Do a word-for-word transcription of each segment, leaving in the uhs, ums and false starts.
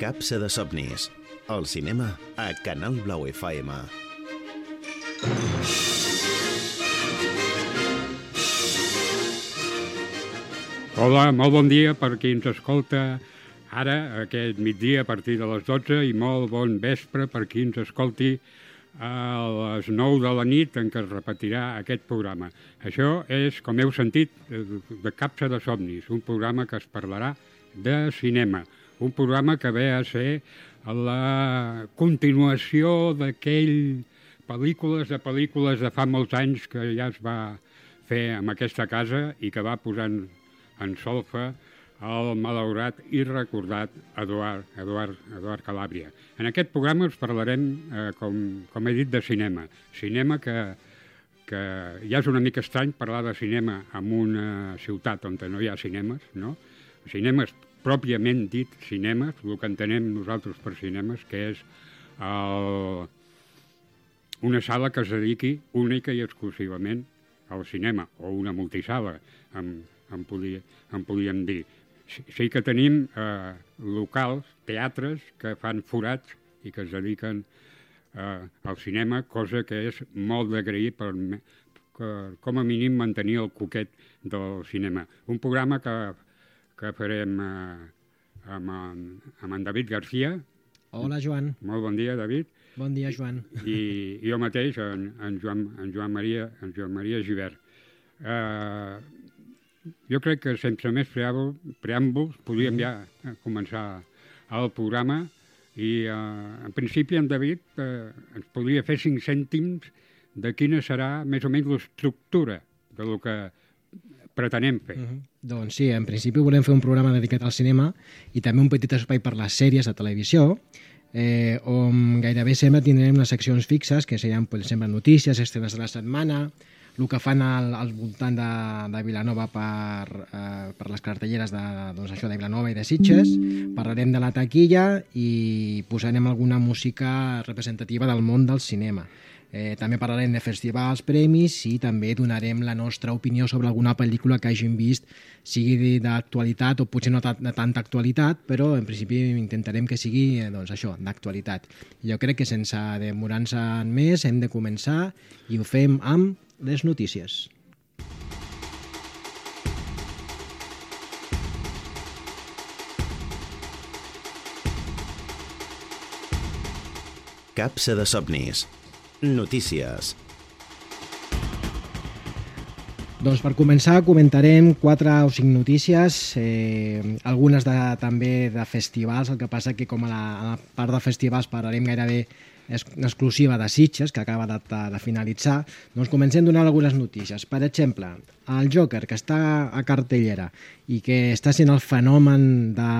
Capsa de somnis. El cinema a Canal Blau F M. Hola, molt bon dia per qui ens escolta ara, aquest migdia, a partir de les dotze, i molt bon vespre per qui ens escolti a les nou de la nit en què es repetirà aquest programa. Això és, com heu sentit, de Capsa de somnis, un programa que es parlarà de cinema, un programa que ve a ser la continuació d'aquell pel·lícules de pel·lícules de fa molts anys que ja es va fer en aquesta casa i que va posant en solfa el malaurat i recordat Eduard, Eduard, Eduard Calàbria. En aquest programa us parlarem, eh, com, com he dit, de cinema. Cinema que, que ja és una mica estrany parlar de cinema en una ciutat on no hi ha cinemes, no? Cinemes, pròpiament dit cinemes, el que entenem nosaltres per cinemes, que és el, una sala que es dediqui única i exclusivament al cinema, o una multisala, en, en, podia, en podíem dir. Sí que tenim eh, locals, teatres, que fan forats i que es dediquen eh, al cinema, cosa que és molt d'agrair per, per, com a mínim, mantenir el coquet del cinema. Un programa que, que farem eh, amb, en, amb en David García. Hola, Joan. Molt bon dia, David. Bon dia, Joan. I, i jo mateix, en, en, Joan, en, Joan Maria, en Joan Maria Gibert. Eh, Jo crec que sense més preàmbuls podríem ja començar el programa i eh, en principi en David eh, ens podria fer cinc cèntims de quina serà més o menys l'estructura de lo que pretenem fer. Uh -huh. Doncs sí, en principi volem fer un programa dedicat al cinema i també un petit espai per les sèries de televisió, eh, on gairebé sempre tindrem unes seccions fixes que seran, per exemple, notícies, estrenes de la setmana, el que fan al, al voltant de, de Vilanova per, eh, per les cartelleres de, doncs això, de Vilanova i de Sitges. Parlarem de la taquilla i posarem alguna música representativa del món del cinema. Eh, també parlarem de festivals, premis i també donarem la nostra opinió sobre alguna pel·lícula que hagin vist, sigui d'actualitat o potser no de tanta actualitat, però en principi intentarem que sigui eh, doncs això, d'actualitat. Jo crec que sense demorar-nos en més hem de començar i ho fem amb les notícies. Capsa de somnis. Notícies. Doncs per començar comentarem quatre o cinc notícies, eh, algunes de, també de festivals, el que passa que com a la, a la part de festivals parlarem gairebé exclusiva de Sitges, que acaba de, de finalitzar, doncs comencem donant algunes notícies. Per exemple, el Joker, que està a cartellera i que està sent el fenomen de,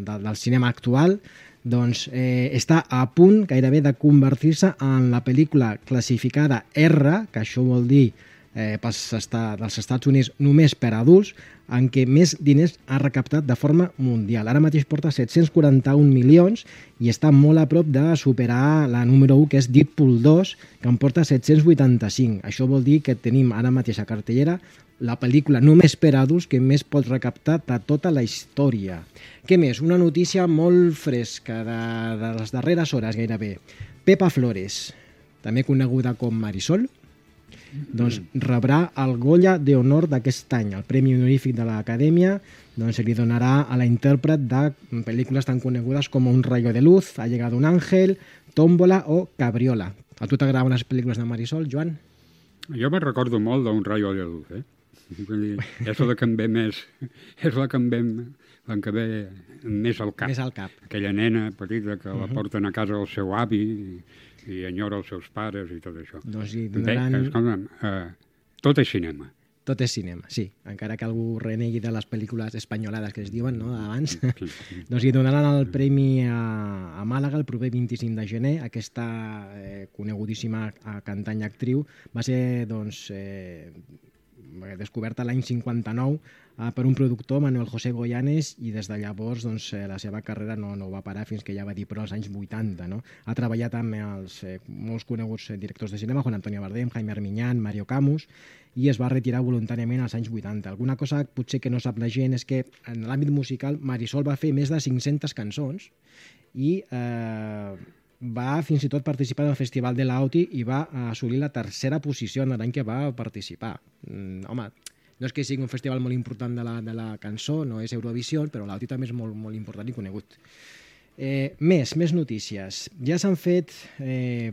de, del cinema actual, doncs eh, està a punt gairebé de convertir-se en la pel·lícula classificada R, que això vol dir eh, pels estat, dels Estats Units només per adults, en què més diners ha recaptat de forma mundial. Ara mateix porta set-cents quaranta-un milions i està molt a prop de superar la número u, que és Deadpool dos, que en porta set-cents vuitanta-cinc. Això vol dir que tenim ara mateix a cartellera la pel·lícula només per adults que més pot recaptar de tota la història. Què més? Una notícia molt fresca de, de les darreres hores gairebé. Pepa Flores, també coneguda com Marisol, doncs rebrà el Goya de Honor d'aquest any, el Premi Honorífic de l'Acadèmia, doncs se li donarà a la intèrpret de pel·lícules tan conegudes com Un rayo de luz, Ha llegado un ángel, Tómbola o Cabriola. A tu t'agraden les pel·lícules de Marisol, Joan? Jo me recordo molt d'Un rayo de luz, eh? És la que em ve més, és la que em ve, la que ve més al cap. Més al cap. Aquella nena petita que Uh-huh. la porten a casa del seu avi i, i enyora els seus pares i tot això. Doncs hi donaran... Bé, escolta'm, eh, tot és cinema. Tot és cinema, sí. Encara que algú renegui de les pel·lícules espanyolades que es diuen, no?, d'abans. Sí, sí. Doncs hi donaran el premi a, a Màlaga el proper vint-i-cinc de gener. Aquesta eh, conegudíssima cantant i actriu va ser, doncs, eh, descoberta l'any cinquanta-nou eh, per un productor, Manuel José Goyanes, i des de llavors doncs, eh, la seva carrera no, no va parar fins que ja va dir però als anys vuitanta. No? Ha treballat amb els eh, molts coneguts directors de cinema, Juan Antonio Bardem, Jaime Armiñán, Mario Camus, i es va retirar voluntàriament als anys vuitanta. Alguna cosa potser que no sap la gent és que en l'àmbit musical Marisol va fer més de cinc-centes cançons i eh, va fins i tot participar en el Festival de l'Auti i va assolir la tercera posició en l'any que va participar. Mm, home, no és que sigui un festival molt important de la, de la cançó, no és Eurovisió, però l'Auti també és molt, molt important i conegut. Eh, més, més notícies. Ja s'han fet eh,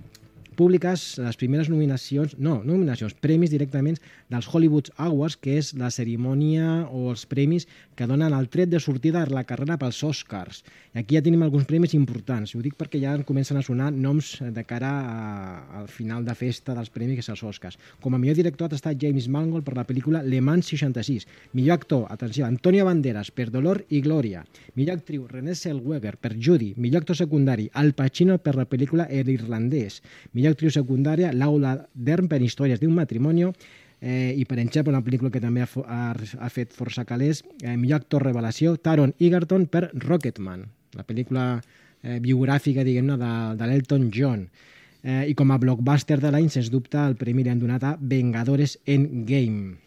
públiques les primeres nominacions, no, nominacions, premis directament dels Hollywood Awards, que és la cerimònia o els premis que donen el tret de sortida a la carrera pels Oscars. I aquí ja tenim alguns premis importants. Ho dic perquè ja comencen a sonar noms de cara a, al final de festa dels premis, que és els Oscars. Com a millor director ha estat James Mangold per la pel·lícula Le Mans seixanta-sis. Millor actor, atenció, Antonio Banderas per Dolor i Glòria. Millor actriu, Renée Zellweger per Judy. Millor actor secundari, Al Pacino per la pel·lícula El Irlandès. Millor actriu secundària, Laura Dern per Històries d'un matrimonio, eh, i per exemple una pel·lícula que també ha, ha, ha fet força calés, eh, millor actor revelació, Taron Egerton per Rocketman, la pel·lícula eh, biogràfica, diguem-ne, de, de l'Elton John. Eh, I com a blockbuster de l'any, sens dubte, el premi li han donat a Vengadores Endgame.